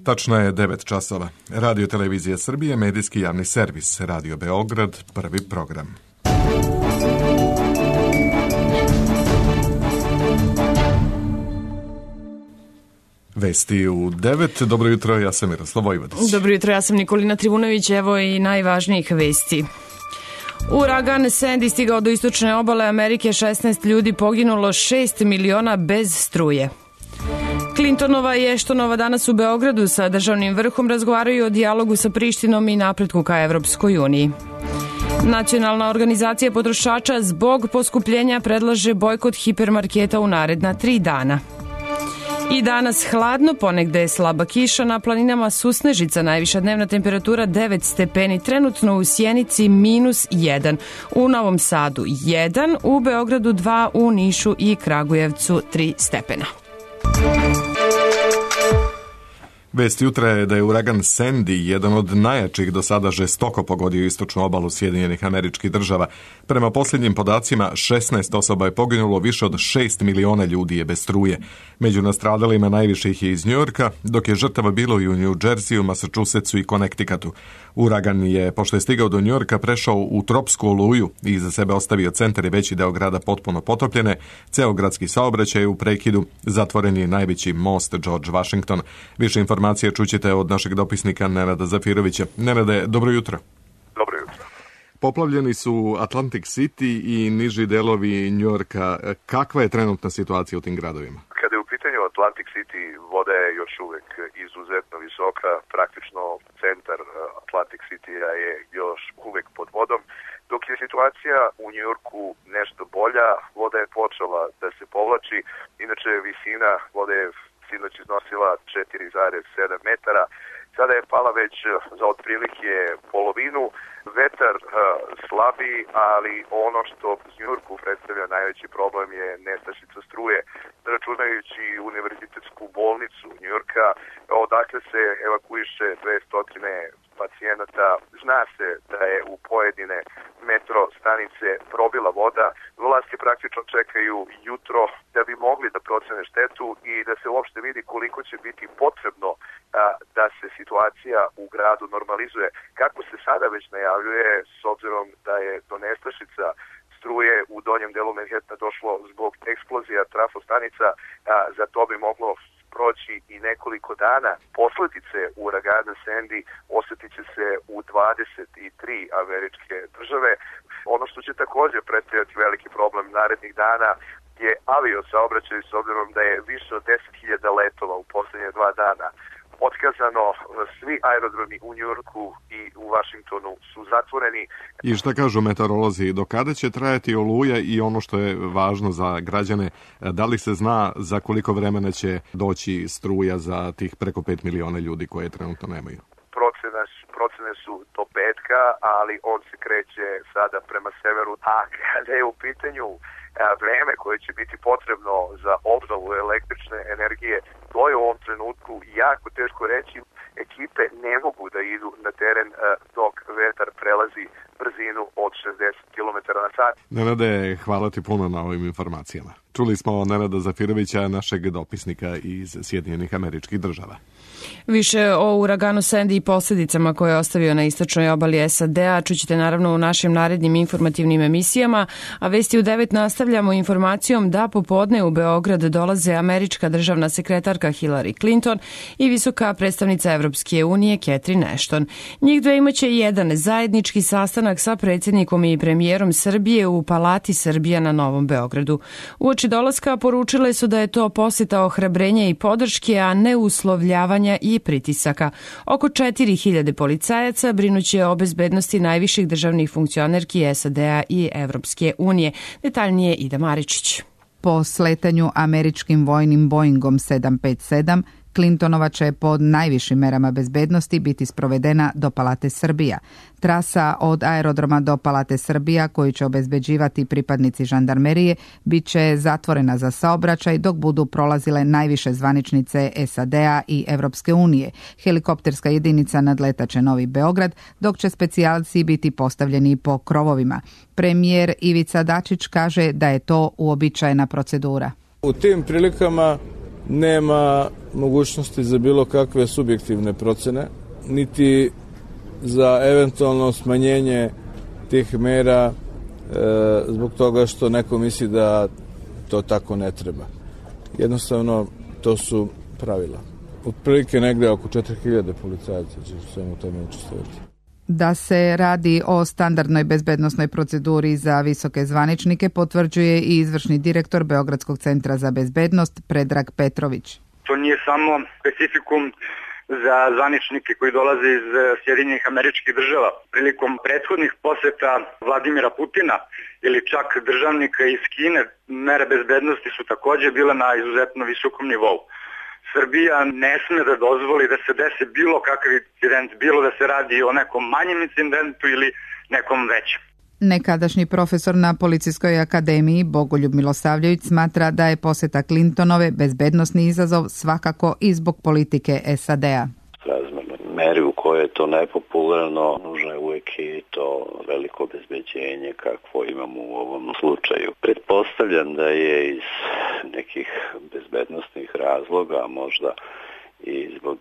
Tačno je 9 časova. Radio Televizija Srbije, medijski javni servis, Radio Beograd, prvi program. Vesti u 9. Dobro jutro, ja sam Miroslav Vojvodić. Dobro jutro, ja sam Nikolina Trivunović. Evo i najvažnijih vesti. Uragan Sandy stigao do istočne obale Amerike, 16 ljudi poginulo, 6 miliona bez struje. Clintonova i Eštonova danas u Beogradu sa državnim vrhom razgovaraju o dijalogu sa Prištinom i napretku ka Evropskoj uniji. Nacionalna organizacija potrošača zbog poskupljenja predlaže bojkot hipermarketa u naredna 3 dana. I danas hladno, ponegde je slaba kiša, na planinama susnežica, najviša dnevna temperatura 9 stepeni, trenutno u Sjenici -1, u Novom Sadu 1, u Beogradu 2, u Nišu i Kragujevcu 3 stepena. Vest jutra je da je uragan Sandy, jedan od najjačih do sada, žestoko pogodio istočnu obalu Sjedinjenih Američkih Država. Prema posljednjim podacima, 16 osoba je poginulo, više od 6 miliona ljudi je bez struje. Među nastradalima najviše ih je iz Njujorka, dok je žrtava bilo i u New Jerseyu, Massachusettsu i Connecticutu. Uragan je, pošto je stigao do Njujorka, prešao u tropsku oluju i iza sebe ostavio centar i veći deo grada potpuno potopljene. Ceo gradski saobraćaj je u prekidu, zatvoren je najveći most George Washington. Više informacije čućete od našeg dopisnika Nenada Zafirovića. Nenade, dobro jutro. Dobro jutro. Poplavljeni su Atlantic City i niži delovi Njujorka. Kakva je trenutna situacija u tim gradovima? Kada je u pitanju Atlantic City, voda je još uvek izuzetno visoka. Praktično centar Atlantic City-a je još uvek pod vodom. Dok je situacija u Njujorku nešto bolja, voda je počela da se povlači. Inače, visina vode je sinoć iznosila 4,7 metara. Sada je pala već za otprilike polovinu. Vetar slabi, ali ono što u Njujorku predstavlja najveći problem je nestašica struje. Računajući univerzitetsku bolnicu Njujorka, odakle se evakuiše 200 pacijenata, zna se da je u pojedine metro stanice probila voda. Vlasti praktično čekaju jutro da bi mogli da procene štetu i da se uopšte vidi koliko će biti potrebno da se situacija u gradu normalizuje. Kako se sada već najavljuje, s obzirom da je do nestašica struje u donjem delu Manhattana došlo zbog eksplozija trafostanica, za to bi moglo proći i nekoliko dana. Posljedice uragana Sandy osjetit će se u 23 američke države. Ono što će također predstavljati veliki problem narednih dana je aviosaobraćaj, s obzirom da je više od 10.000 letova u posljednje 2 dana otkazano. Svi aerodromi u Njujorku i u Washingtonu su zatvoreni. I šta kažu meteorolozi, do kada će trajati oluja i ono što je važno za građane, da li se zna za koliko vremena će doći struja za tih preko 5 miliona ljudi koje trenutno nemaju? Procene su do petka, ali on se kreće sada prema severu. A kada je u pitanju vreme koje će biti potrebno za obnovu električne energije, to je u ovom trenutku jako teško reći. Ekipe ne mogu da idu na teren dok vetar prelazi brzinu od 60 km na sat. Nenade, hvala ti puno na ovim informacijama. Čuli smo Nenada Zafirovića, našeg dopisnika iz Sjedinjenih Američkih Država. Više o uraganu Sandy i posljedicama koje je ostavio na istočnoj obali SAD-a čućete naravno u našim narednim informativnim emisijama, a vesti u 9 nastavljamo informacijom da popodne u Beograd dolaze američka državna sekretarka Hillary Clinton i visoka predstavnica Evropske unije Catherine Ashton. Njih dve imaće jedan zajednički sastanak sa predsjednikom i premijerom Srbije u Palati Srbija na Novom Beogradu. Uoči dolaska poručile su da je to posjeta ohrabrenja i podrške, a ne uslovljavanja i pritisaka. Oko 4.000 policajaca brinuće o bezbednosti najviših državnih funkcionerki SAD-a i Evropske unije. Detaljnije Ida Maričić. Po sletanju američkim vojnim Boeingom 757, Clintonova će pod najvišim merama bezbednosti biti sprovedena do Palate Srbija. Trasa od aerodroma do Palate Srbija, koju će obezbeđivati pripadnici žandarmerije, bit će zatvorena za saobraćaj dok budu prolazile najviše zvaničnice SAD-a i Evropske unije. Helikopterska jedinica nadletaće Novi Beograd, dok će specijalci biti postavljeni po krovovima. Premijer Ivica Dačić kaže da je to uobičajena procedura. U tim prilikama nema mogućnosti za bilo kakve subjektivne procene, niti za eventualno smanjenje tih mera zbog toga što neko misli da to tako ne treba. Jednostavno, to su pravila. Otprilike negde oko 4000 policajaca će svemu tome učestvovati. Da se radi o standardnoj bezbednosnoj proceduri za visoke zvaničnike potvrđuje i izvršni direktor Beogradskog centra za bezbednost Predrag Petrović. To nije samo specifikum za zvaničnike koji dolaze iz Sjedinjenih Američkih Država. Prilikom prethodnih poseta Vladimira Putina ili čak državnika iz Kine, mere bezbednosti su takođe bile na izuzetno visokom nivou. Srbija ne sme da dozvoli da se desi bilo kakav incident, bilo da se radi o nekom manjem incidentu ili nekom većem. Nekadašnji profesor na Policijskoj akademiji Bogoljub Milosavljević smatra da je poseta Clintonove bezbednosni izazov svakako i zbog politike SAD-a. Razmerno meri u kojoj je to nepopularno, nužno je uvijek i to veliko obezbeđenje kakvo imamo u ovom slučaju. Pretpostavljam da je iz nekih bezbednosnih razloga, možda i zbog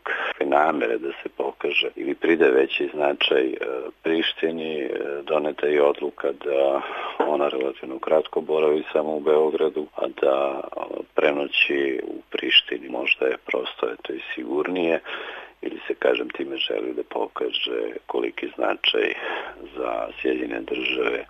namere da se pokaže ili pride veći značaj Prištini, doneta je odluka da ona relativno kratko boravi samo u Beogradu, a da prenoći u Prištini. Možda je prosto eto i sigurnije ili se, kažem, time želi da pokaže koliki značaj za Sjedinjene Države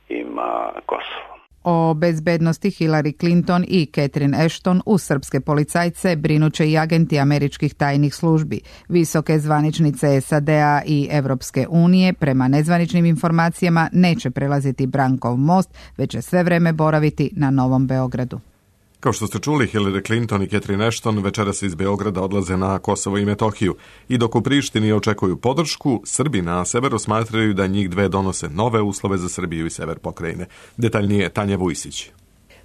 ima Kosovo. O bezbednosti Hillary Clinton i Catherine Ashton u srpske policajce brinuće i agenti američkih tajnih službi. Visoke zvaničnice SAD-a i Evropske unije prema nezvaničnim informacijama neće prelaziti Brankov most, već će sve vreme boraviti na Novom Beogradu. Kao što ste čuli, Hillary Clinton i Catherine Ashton večeras iz Beograda odlaze na Kosovo i Metohiju i dok u Prištini očekuju podršku, Srbi na severu smatraju da njih dve donose nove uslove za Srbiju i sever pokrajine. Detaljnije Tanja Vujsić.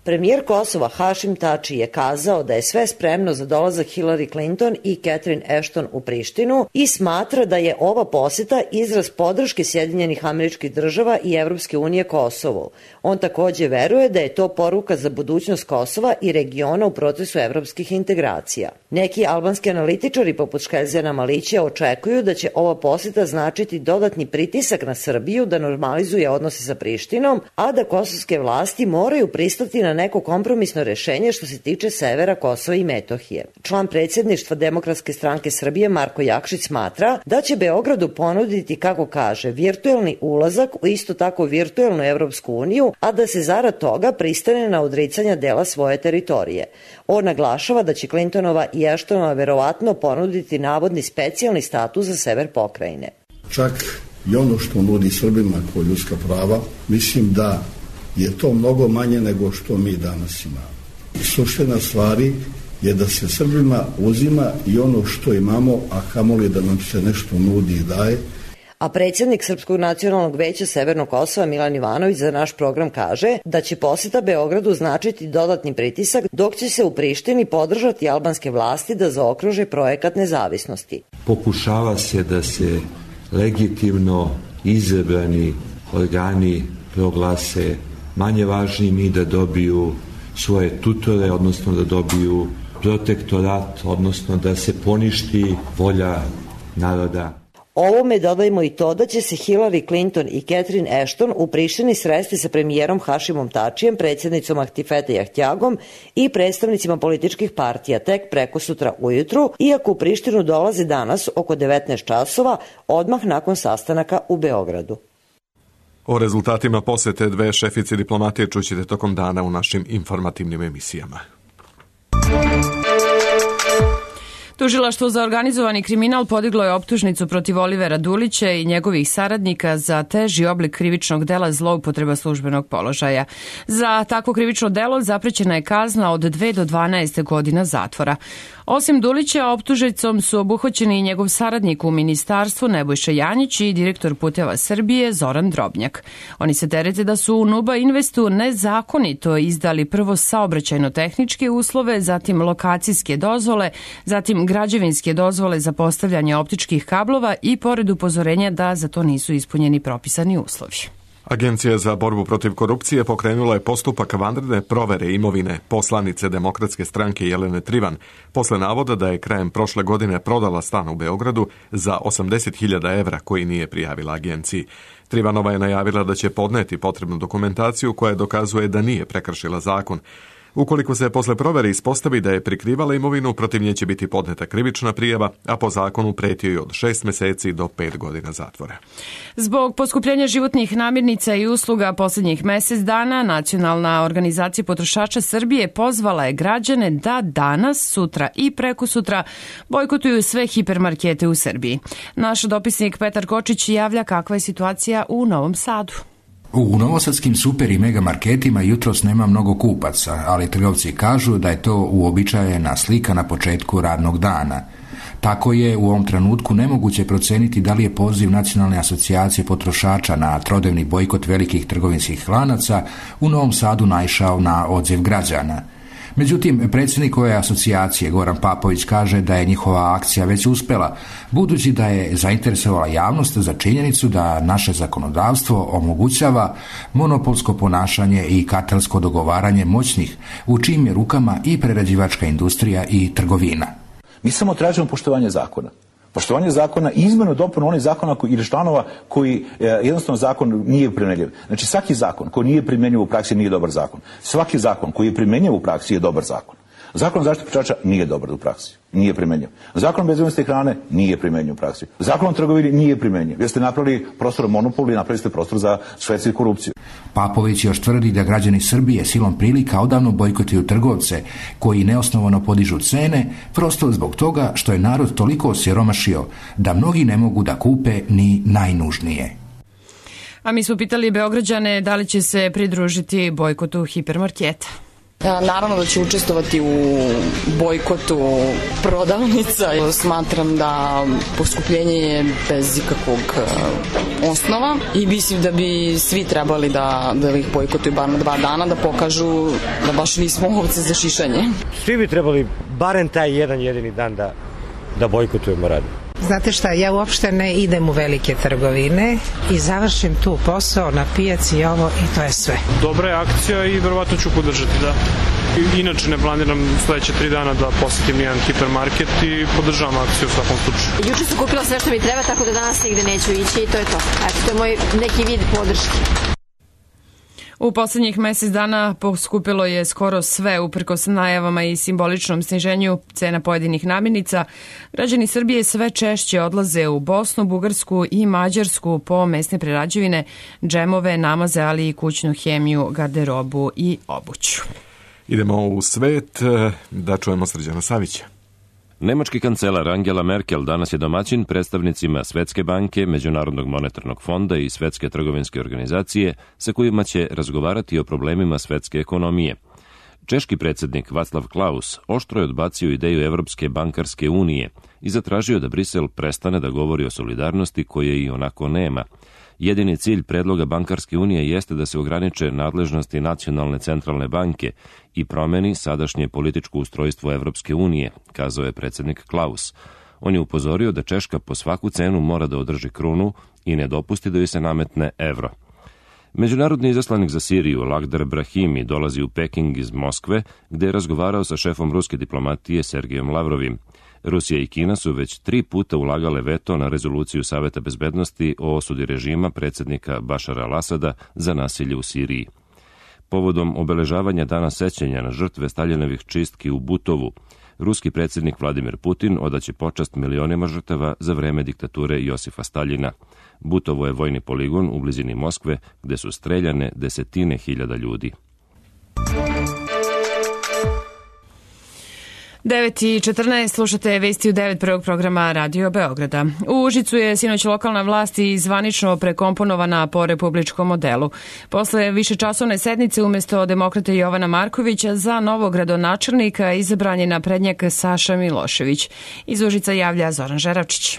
Premijer Kosova Hašim Tači je kazao da je sve spremno za dolazak Hillary Clinton i Catherine Ashton u Prištinu i smatra da je ova poseta izraz podrške Sjedinjenih Američkih Država i Evropske unije Kosovu. On takođe veruje da je to poruka za budućnost Kosova i regiona u procesu evropskih integracija. Neki albanski analitičari poput Škeljzijana Malića očekuju da će ova poseta značiti dodatni pritisak na Srbiju da normalizuje odnose sa Prištinom, a da kosovske vlasti moraju pristati na neko kompromisno rešenje što se tiče severa Kosova i Metohije. Član predsjedništva Demokratske stranke Srbije Marko Jakšić smatra da će Beogradu ponuditi, kako kaže, virtuelni ulazak u isto tako virtuelnu Evropsku uniju, a da se zarad toga pristane na odricanja dela svoje teritorije. On naglašava da će Clintonova i Ashtonova verovatno ponuditi navodni specijalni status za sever pokrajine. Čak i ono što nudi Srbima kao ljudska prava, mislim da je to mnogo manje nego što mi danas imamo. Suština stvari je da se Srbima uzima i ono što imamo, a kamoli da nam se nešto nudi i daje. A predsjednik Srpskog nacionalnog veća Severnog Kosova Milan Ivanović za naš program kaže da će poseta Beogradu značiti dodatni pritisak, dok će se u Prištini podržati albanske vlasti da zaokruže projekat nezavisnosti. Pokušava se da se legitimno izabrani organi proglase manje važnim i da dobiju svoje tutore, odnosno da dobiju protektorat, odnosno da se poništi volja naroda. Ovome dodajmo i to da će se Hillary Clinton i Catherine Ashton u Prištini sresti sa premijerom Hašimom Tačijem, predsjednicom Ahtifete Jahtjagom i predstavnicima političkih partija tek preko sutra ujutru, iako u Prištinu dolaze danas oko 19 časova, odmah nakon sastanaka u Beogradu. O rezultatima posete dve šefice diplomatije čućete tokom dana u našim informativnim emisijama. Tužilaštvo za organizovani kriminal podiglo je optužnicu protiv Olivera Dulića i njegovih saradnika za teži oblik krivičnog dela zloupotreba službenog položaja. Za takvo krivično delo zaprećena je kazna od 2 do 12 godina zatvora. Osim Dulića, optužnicom su obuhvaćeni i njegov saradnik u ministarstvu Nebojša Janjić i direktor Puteva Srbije Zoran Drobnjak. Oni se terete da su u Nuba Investu nezakonito izdali prvo saobraćajno-tehničke uslove, zatim lokacijske dozvole, zatim građevinske dozvole za postavljanje optičkih kablova i pored upozorenja da za to nisu ispunjeni propisani uslovi. Agencija za borbu protiv korupcije pokrenula je postupak vanredne provere imovine poslanice Demokratske stranke Jelene Trivan, posle navoda da je krajem prošle godine prodala stan u Beogradu za 80.000 evra koji nije prijavila agenciji. Trivanova je najavila da će podneti potrebnu dokumentaciju koja dokazuje da nije prekršila zakon. Ukoliko se posle provere ispostavi da je prikrivala imovinu, protiv nje će biti podneta krivična prijava, a po zakonu preti joj od 6 meseci do 5 godina zatvora. Zbog poskupljenja životnih namirnica i usluga posljednjih mesec dana, Nacionalna organizacija potrošača Srbije pozvala je građane da danas, sutra i prekosutra bojkotuju sve hipermarkete u Srbiji. Naš dopisnik Petar Kočić javlja kakva je situacija u Novom Sadu. U novosadskim super i mega marketima jutros nema mnogo kupaca, ali trgovci kažu da je to uobičajena slika na početku radnog dana. Tako je u ovom trenutku nemoguće proceniti da li je poziv Nacionalne asocijacije potrošača na trodnevni bojkot velikih trgovinskih lanaca u Novom Sadu naišao na odziv građana. Međutim, predsjednik ove asocijacije Goran Papović kaže da je njihova akcija već uspela, budući da je zainteresovala javnost za činjenicu da naše zakonodavstvo omogućava monopolsko ponašanje i kartelsko dogovaranje moćnih, u čijim je rukama i prerađivačka industrija i trgovina. Mi samo tražimo poštovanje zakona. Poštovanje zakona i izmenu dopunu onih zakona ili članova koji jednostavno zakon nije primjenjiv. Znači svaki zakon koji nije primjenjiv u praksi nije dobar zakon. Svaki zakon koji je primjenjiv u praksi je dobar zakon. Zakon o zaštiti potrošača nije dobar u praksi. Nije primjenjiv. Zakon o bezbednosti hrane nije primjenjiv u praksi. Zakon o trgovini nije primjenjiv. Jer ste napravili prostor monopolu i napravili ste prostor za šverc i korupciju. Papović još tvrdi da građani Srbije silom prilika odavno bojkotuju trgovce koji neosnovano podižu cene, prosto zbog toga što je narod toliko osiromašio da mnogi ne mogu da kupe ni najnužnije. A mi smo pitali Beograđane da li će se pridružiti bojkotu hipermarketa. Naravno da ću učestvovati u bojkotu prodavnica. Smatram da poskupljenje je bez ikakvog osnova i mislim da bi svi trebali da ih bojkotuju bar na 2 dana, da pokažu da baš nismo ovce za šišanje. Svi bi trebali barem taj jedan jedini dan da bojkotujemo rad. Znate šta, ja uopšte ne idem u velike trgovine i završim tu posao na pijaci i ovo i to je sve. Dobra je akcija i verovatno ću podržati, da. Inače ne planiram sledeće 3 dana da posetim jedan hipermarket i podržavam akciju u svakom slučaju. Juče sam kupila sve što mi treba, tako da danas nigde neću ići i to je to. Eto, to je moj neki vid podrške. U posljednjih mesec dana poskupilo je skoro sve, uprkos najavama i simboličnom sniženju cena pojedinih namirnica. Građani Srbije sve češće odlaze u Bosnu, Bugarsku i Mađarsku po mesne prerađevine, džemove, namaze, ali i kućnu hemiju, garderobu i obuću. Idemo u svet da čujemo Srđana Savića. Nemački kancelar Angela Merkel danas je domaćin predstavnicima Svetske banke, Međunarodnog monetarnog fonda i Svetske trgovinske organizacije sa kojima će razgovarati o problemima svetske ekonomije. Češki predsjednik Václav Klaus oštro je odbacio ideju Evropske bankarske unije i zatražio da Brisel prestane da govori o solidarnosti koje i onako nema. Jedini cilj predloga bankarske unije jeste da se ograniče nadležnosti nacionalne centralne banke i promeni sadašnje političko ustrojstvo Evropske unije, kazao je predsjednik Klaus. On je upozorio da Češka po svaku cenu mora da održi krunu i ne dopusti da joj se nametne evro. Međunarodni izaslanik za Siriju Lakhdar Brahimi dolazi u Peking iz Moskve, gde je razgovarao sa šefom ruske diplomatije Sergejom Lavrovim. Rusija i Kina su već 3 puta ulagale veto na rezoluciju Saveta bezbednosti o osudi režima predsjednika Bašara al-Asada za nasilje u Siriji. Povodom obeležavanja dana sećanja na žrtve Staljinovih čistki u Butovu, ruski predsjednik Vladimir Putin odaće počast milionima žrtava za vreme diktature Josifa Staljina. Butovo je vojni poligon u blizini Moskve gde su streljane desetine hiljada ljudi. 9:14 slušate vesti u 9 prvog programa Radio Beograda. U Užicu je sinoć lokalna vlast i zvanično prekomponovana po republičkom modelu. Posle višečasovne sednice umjesto demokrate Jovana Markovića za novog gradonačelnika izabran je naprednjak Saša Milošević. Iz Užica javlja Zoran Žeravčić.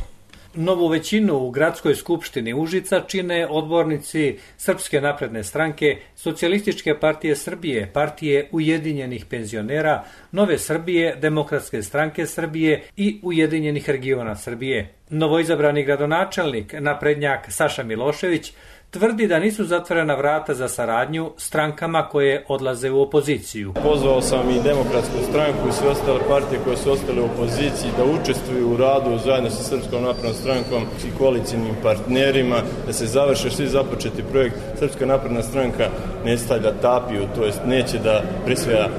Novu većinu u gradskoj skupštini Užica čine odbornici Srpske napredne stranke, Socijalističke partije Srbije, Partije ujedinjenih penzionera, Nove Srbije, Demokratske stranke Srbije i Ujedinjenih regiona Srbije. Novoizabrani gradonačelnik, naprednjak Saša Milošević, tvrdi da nisu zatvorena vrata za saradnju strankama koje odlaze u opoziciju. Pozvao sam i Demokratsku stranku i sve ostale partije koje su ostale u opoziciji da učestvuju u radu zajedno sa Srpskom naprednom strankom i koalicijnim partnerima, da se završe svi započeti projekt. Srpska napredna stranka ne stavlja tapiju, to jest neće da prisvaja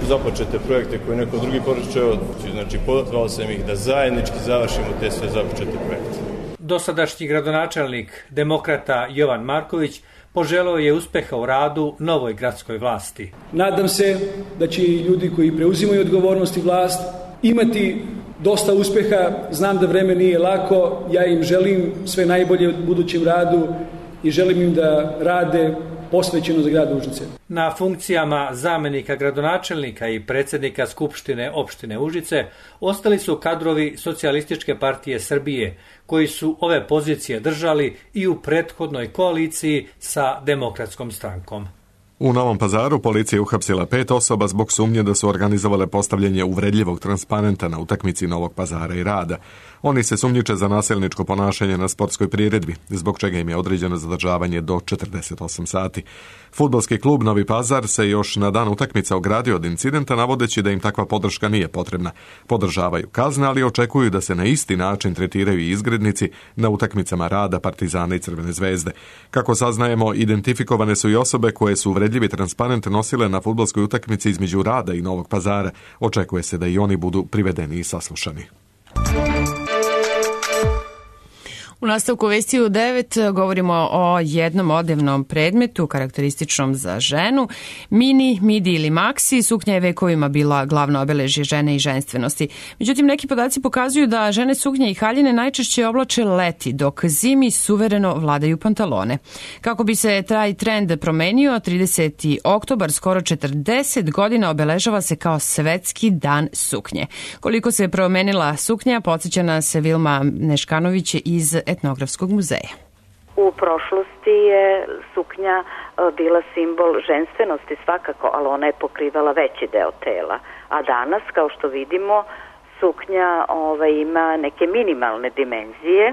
započete projekte koje neko drugi počeo. Znači, pozvao sam ih da zajednički završimo te sve započete projekte. Dosadašnji gradonačelnik demokrata Jovan Marković poželeo je uspeha u radu novoj gradskoj vlasti. Nadam se da će i ljudi koji preuzimaju odgovornost i vlast imati dosta uspeha. Znam da vreme nije lako, ja im želim sve najbolje u budućem radu i želim im da rade posvećeno za grad Užice. Na funkcijama zamenika gradonačelnika i predsjednika Skupštine opštine Užice ostali su kadrovi Socijalističke partije Srbije, koji su ove pozicije držali i u prethodnoj koaliciji sa Demokratskom strankom. U Novom Pazaru policija je uhapsila 5 osoba zbog sumnje da su organizovale postavljanje uvredljivog transparenta na utakmici Novog Pazara i Rada. Oni se sumnjiče za nasilničko ponašanje na sportskoj priredbi, zbog čega im je određeno zadržavanje do 48 sati. Fudbalski klub Novi Pazar se još na dan utakmice ogradio od incidenta, navodeći da im takva podrška nije potrebna. Podržavaju kazne, ali očekuju da se na isti način tretiraju i izgrednici na utakmicama Rada, Partizana i Crvene zvezde. Kako saznajemo, identifikovane su i osobe koje su uvredljivi transparent nosile na fudbalskoj utakmici između Rada i Novog Pazara. Očekuje se da i oni budu privedeni i saslušani. U nastavku vesti u 9 govorimo o jednom odevnom predmetu karakterističnom za ženu. Mini, midi ili maksi, suknja je vekovima bila glavno obeležje žene i ženstvenosti. Međutim, neki podaci pokazuju da žene suknje i haljine najčešće oblače leti, dok zimi suvereno vladaju pantalone. Kako bi se taj trend promenio, 30. oktobar, skoro 40 godina, obeležava se kao Svetski dan suknje. Koliko se promenila suknja, podsjeća nas Vilma Neškanović iz Etnografskog muzeja. U prošlosti je suknja bila simbol ženstvenosti svakako, ali ona je pokrivala veći deo tela. A danas, kao što vidimo, suknja ima neke minimalne dimenzije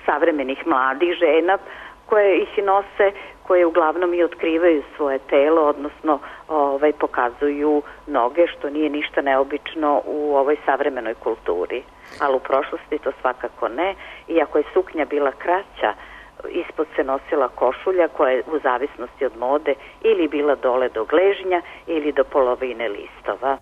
savremenih mladih žena koje ih nose, koje uglavnom i otkrivaju svoje telo, odnosno pokazuju noge, što nije ništa neobično u ovoj savremenoj kulturi. Ali u prošlosti to svakako ne. Iako je suknja bila kraća, ispod se nosila košulja koja je u zavisnosti od mode ili bila dole do gležnja ili do polovine listova.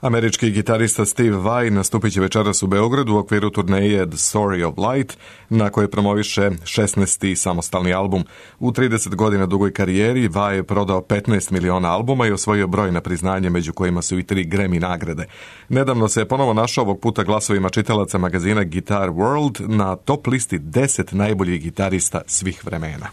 Američki gitarista Steve Vai nastupit će večeras u Beogradu u okviru turneje The Story of Light, na kojoj promoviše 16. samostalni album. U 30 godina dugoj karijeri Vai je prodao 15 miliona albuma i osvojio brojna priznanja, među kojima su i 3 Grammy nagrade. Nedavno se je ponovo našao, ovog puta glasovima čitalaca magazina Guitar World, na top listi 10 najboljih gitarista svih vremena.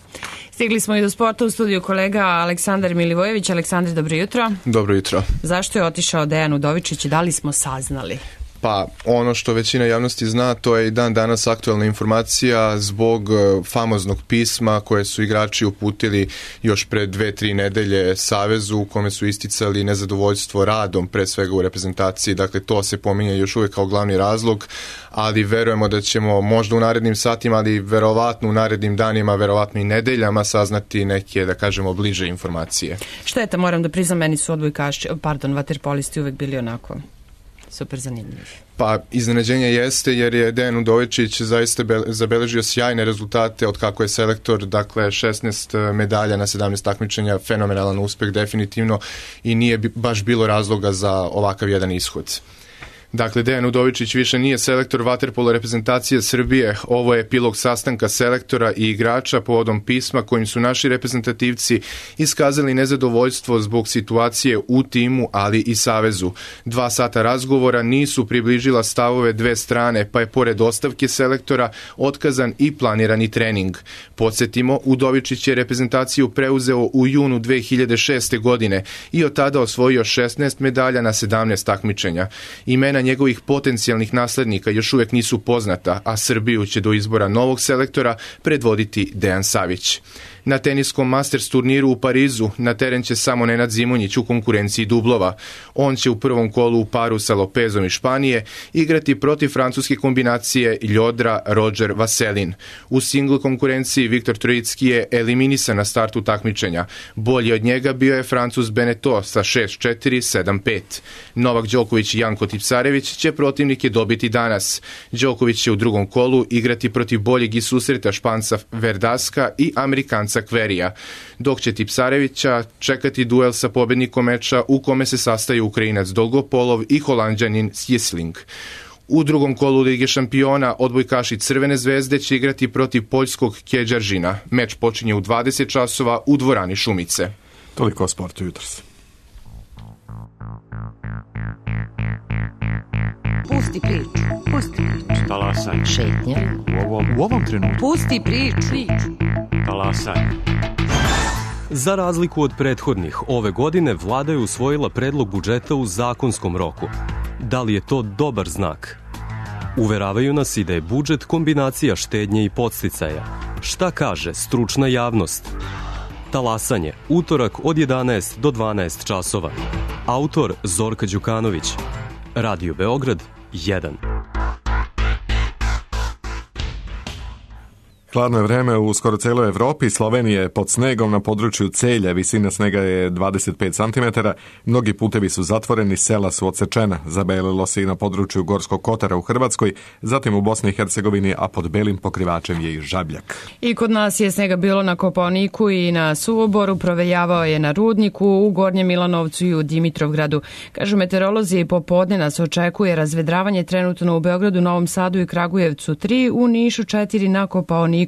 Stigli smo i do sporta, u studiju kolega Aleksandar Milivojević. Aleksandar, dobro jutro. Dobro jutro. Zašto je otišao Dejan Udovičić i da li smo saznali? Pa ono što većina javnosti zna, to je i dan danas aktualna informacija zbog famoznog pisma koje su igrači uputili još pre 2-3 nedelje Savezu, u kome su isticali nezadovoljstvo radom, pre svega u reprezentaciji. Dakle, to se pominje još uvijek kao glavni razlog, ali verujemo da ćemo možda u narednim satima, ali verovatno u narednim danima, verovatno i nedeljama saznati neke, da kažemo, bliže informacije. Šteta, moram da priznam, meni su vaterpolisti uvek bili onako super zanimljivi. Pa iznenađenje jeste jer je Dejan Udovičić zaista zabeležio sjajne rezultate od kako je selektor, dakle 16 medalja na 17 takmičenja, fenomenalan uspeh definitivno i nije baš bilo razloga za ovakav jedan ishod. Dakle, Dejan Udovičić više nije selektor vaterpolo reprezentacije Srbije. Ovo je epilog sastanka selektora i igrača povodom pisma kojim su naši reprezentativci iskazali nezadovoljstvo zbog situacije u timu, ali i Savezu. 2 sata razgovora nisu približila stavove dve strane, pa je pored ostavke selektora otkazan i planirani trening. Podsjetimo, Udovičić je reprezentaciju preuzeo u junu 2006. godine i od tada osvojio 16 medalja na 17 takmičenja. Imena njegovih potencijalnih naslednika još uvijek nisu poznata, a Srbiju će do izbora novog selektora predvoditi Dejan Savić. Na teniskom Masters turniru u Parizu na teren će samo Nenad Zimonjić u konkurenciji dublova. On će u prvom kolu u paru sa Lopezom iz Španije igrati protiv francuske kombinacije Ljodra Roger Vaselin. U singl konkurenciji Viktor Trojicki je eliminisan na startu takmičenja. Bolji od njega bio je Francuz Beneteau sa 6-4, 7-5. Novak Đoković i Janko Tipsarević će protivnike dobiti danas. Đoković će u drugom kolu igrati protiv boljeg iz susreta Španca Verdaska i Amerikanca Kverija, dok će Tipsarevića čekati duel sa pobednikom meča u kome se sastaju Ukrajinac Dolgopolov i Holanđanin Sjesling. U drugom kolu Lige šampiona odbojkaši Crvene zvezde će igrati protiv poljskog Kjeđaržina. Meč počinje u 20 časova u dvorani Šumice. Toliko o sportu jutros. Pusti priču. Pusti priču. Talasaj. Šetnja. U ovom trenutku. Pusti priču. Talasaj. Za razliku od prethodnih, ove godine vlada je usvojila predlog budžeta u zakonskom roku. Da li je to dobar znak? Uveravaju nas i da je budžet kombinacija štednje i podsticaja. Šta kaže stručna javnost? Talasanje, utorak od 11 do 12 časova. Autor Zorka Đukanović. Radio Beograd 1. Hladno je vreme u skoro celoj Evropi. Slovenija je pod snegom na području Celja. Visina snega je 25 cm. Mnogi putevi su zatvoreni, sela su odsečena. Zabelilo se i na području Gorskog Kotara u Hrvatskoj, zatim u Bosni i Hercegovini, a pod belim pokrivačem je i Žabljak. I kod nas je snega bilo na Kopaoniku i na Suvoboru, provejavao je na Rudniku, u Gornjem Milanovcu i u Dimitrovgradu. Kažu meteorolozi, popodne nas očekuje razvedravanje trenutno u Beogradu, Novom Sadu i Kragujevcu 3, u Nišu 4, na Kopaoniku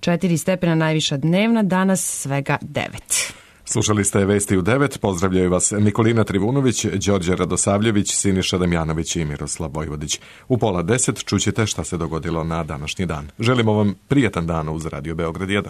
4 stepena najviša dnevna, danas svega 9. Slušali ste Vesti u 9, pozdravljaju vas Nikolina Trivunović, Đorđe Radosavljević, Siniša Damjanović i Miroslav Vojvodić. U 9:30 čućete šta se dogodilo na današnji dan. Želimo vam prijatan dan uz Radio Beograd 1.